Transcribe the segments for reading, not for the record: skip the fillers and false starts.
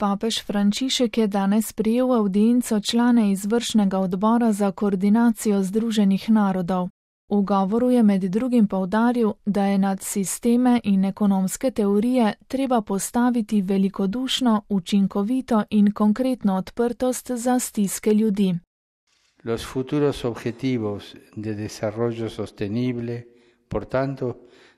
Papež Frančišek je danes prijel avdienco člane izvršnega odbora za koordinacijo Združenih narodov. V govoru je med drugim poudaril, da je nad sisteme in ekonomske teorije treba postaviti velikodušno, učinkovito in konkretno odprtost za stiske ljudi. Los futuros objetivos de desarrollo sostenible, por tanto,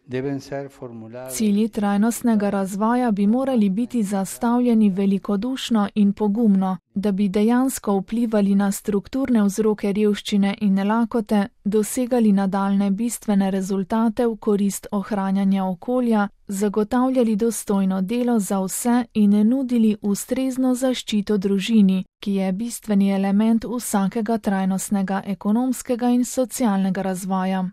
deben ser formulados. Cilji trajnostnega razvoja bi morali biti zastavljeni velikodušno in pogumno, da bi dejansko vplivali na strukturne vzroke revščine in lakote, dosegali nadaljne bistvene rezultate v korist ohranjanja okolja, zagotavljali dostojno delo za vse in nudili ustrezno zaščito družini, ki je bistveni element vsakega trajnostnega ekonomskega in socialnega razvoja.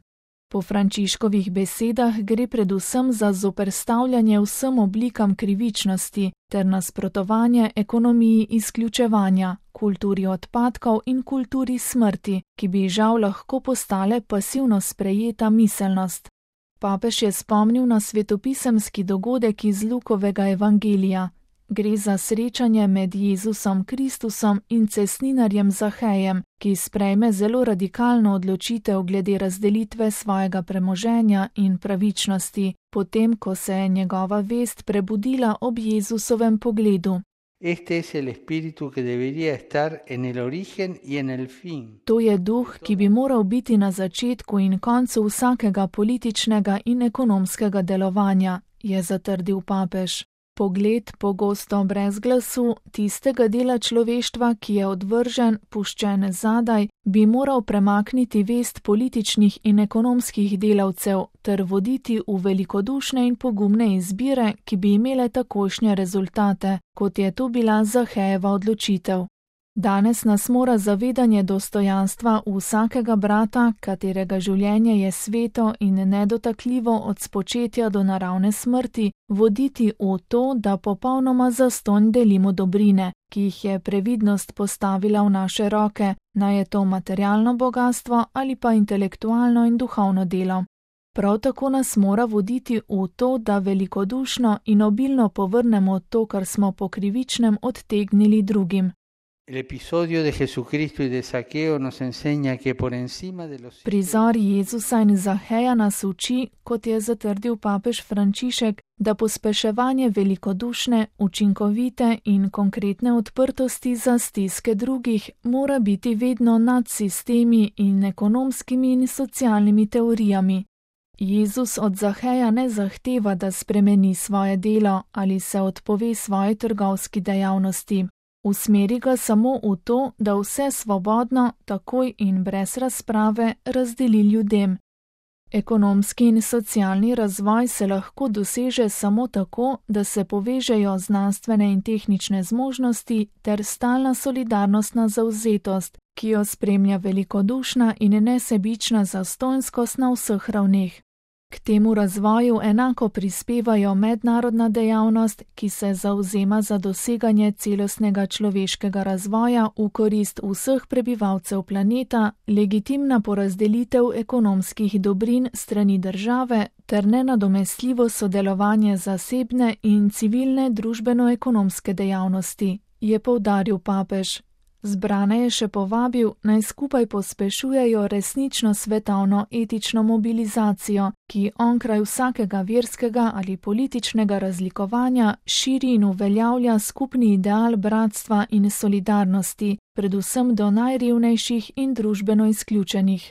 Po Frančiškovih besedah gre predvsem za zoperstavljanje vsem oblikam krivičnosti ter nasprotovanje ekonomiji izključevanja, kulturi odpadkov in kulturi smrti, ki bi žal lahko postale pasivno sprejeta miselnost. Papež je spomnil na svetopisemski dogodek iz Lukovega evangelija. Gre za srečanje med Jezusom Kristusom in cestninarjem Zahejem, ki sprejme zelo radikalno odločitev glede razdelitve svojega premoženja in pravičnosti, potem ko se je njegova vest prebudila ob Jezusovem pogledu. To je duh, ki bi moral biti na začetku in koncu vsakega političnega in ekonomskega delovanja, je zatrdil papež. Pogled, pogosto brez glasu, tistega dela človeštva, ki je odvržen, puščen zadaj, bi moral premakniti vest političnih in ekonomskih delavcev ter voditi v velikodušne in pogumne izbire, ki bi imele takošnje rezultate, kot je to bila Zahejeva odločitev. Danes nas mora zavedanje dostojanstva vsakega brata, katerega življenje je sveto in nedotakljivo od spočetja do naravne smrti, voditi v to, da popolnoma zastonj delimo dobrine, ki jih je previdnost postavila v naše roke, naj je to materialno bogastvo ali pa intelektualno in duhovno delo. Prav tako nas mora voditi v to, da velikodušno in obilno povrnemo to, kar smo po krivičnem odtegnili drugim. Prizor Jezusa in Zaheja nas uči, kot je zatrdil papež Frančišek, da pospeševanje velikodušne, učinkovite in konkretne odprtosti za stiske drugih mora biti vedno nad sistemi in ekonomskimi in socialnimi teorijami. Jezus od Zaheja ne zahteva, da spremeni svoje delo ali se odpove svoji trgovski dejavnosti. Usmeri ga samo v to, da vse svobodno, takoj in brez razprave razdeli ljudem. Ekonomski in socialni razvoj se lahko doseže samo tako, da se povežejo znanstvene in tehnične zmožnosti ter stalna solidarnostna zavzetost, ki jo spremlja velikodušna in nesebična zastonjskost na vseh ravneh. K temu razvoju enako prispevajo mednarodna dejavnost, ki se zavzema za doseganje celostnega človeškega razvoja v korist vseh prebivalcev planeta, legitimna porazdelitev ekonomskih dobrin strani države ter nenadomestljivo sodelovanje zasebne in civilne družbeno-ekonomske dejavnosti, je poudaril papež. Zbrane je še povabil, naj skupaj pospešujejo resnično svetovno etično mobilizacijo, ki onkraj vsakega verskega ali političnega razlikovanja širi in uveljavlja skupni ideal bratstva in solidarnosti, predvsem do najrevnejših in družbeno izključenih.